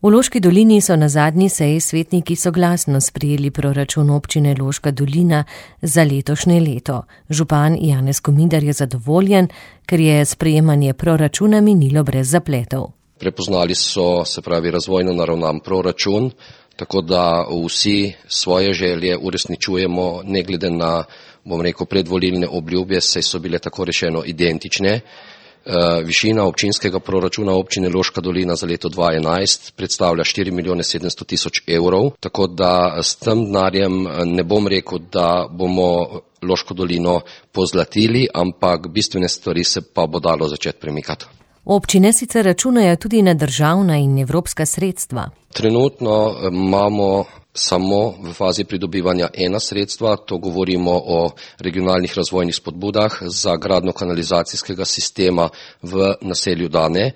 V Loški dolini so na zadnji seji svetniki soglasno sprejeli proračun občine Loška dolina za letošnje leto. Župan Janez Kominder je zadovoljen, ker je sprejemanje proračuna minilo brez zapletov. Prepoznali so, razvojno naravnan proračun, tako da vsi svoje želje uresničujemo, ne glede na, predvolilne obljube, saj so bile tako rečeno identične. Višina občinskega proračuna občine Loška dolina za leto 2011 predstavlja 4.700.000 evrov, tako da s tem denarjem ne bom rekel, da bomo Loško dolino pozlatili, ampak bistvene stvari se pa bo dalo začeti premikati. Občine sicer računajo tudi na državna in evropska sredstva. Trenutno imamo samo v fazi pridobivanja ena sredstva, to govorimo o regionalnih razvojnih spodbudah za gradnjo kanalizacijskega sistema v naselju Dane.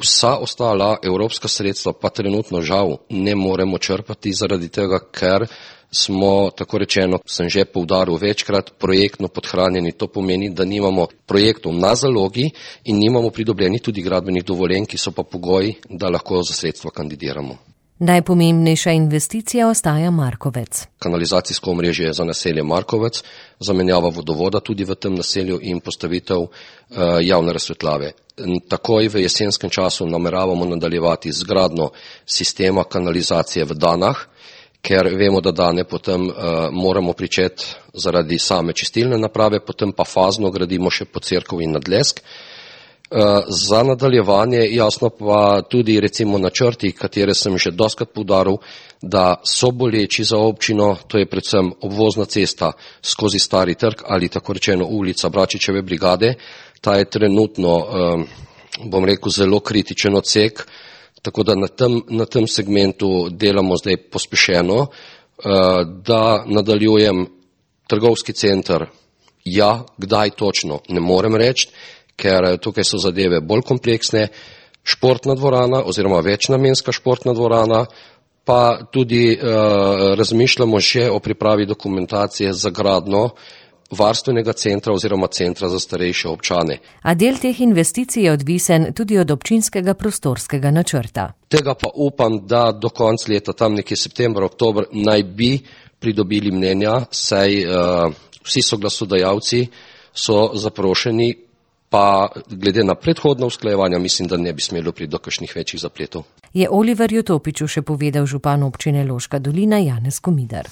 Vsa ostala evropska sredstva pa trenutno žal ne moremo črpati zaradi tega, ker smo, tako rečeno, sem že poudaril večkrat, projektno podhranjeni. To pomeni, da nimamo projektov na zalogi in nimamo pridobljenih tudi gradbenih dovoljenj, ki so pa pogoji, da lahko za sredstva kandidiramo. Najpomembnejša investicija ostaja Markovec. Kanalizacijsko omrežje za naselje Markovec, zamenjava vodovoda tudi v tem naselju in postavitev javne razsvetljave. Takoj v jesenskem času nameravamo nadaljevati z gradnjo sistema kanalizacije v Danah, ker vemo, da Dane potem moramo pričeti zaradi same čistilne naprave, potem pa fazno gradimo še po cerkev in Nadlesk. Za nadaljevanje jasno pa tudi recimo načrti, katere sem že dostakrat poudaril, da so boleči za občino, to je predvsem obvozna cesta skozi Stari trg ali tako rečeno ulica Bračičeve brigade. Ta je trenutno, zelo kritičen odsek, tako da na tem segmentu delamo zdaj pospešeno, da nadaljujem trgovski center. Ja, kdaj točno, ne morem reči, ker tukaj so zadeve bolj kompleksne, športna dvorana oziroma večnamenska športna dvorana, pa tudi razmišljamo še o pripravi dokumentacije za gradnjo varstvenega centra oziroma centra za starejše občane. A del teh investicij je odvisen tudi od občinskega prostorskega načrta. Tega pa upam, da do konca leta, tam nekje september, oktober, naj bi pridobili mnenja, saj vsi soglasodajalci so zaprošeni, pa glede na predhodna usklajevanja mislim, da ne bi smelo priti do kakšnih večjih zapletov. Je Oliverju Topiču še povedal župan občine Loška dolina Janez Kominder.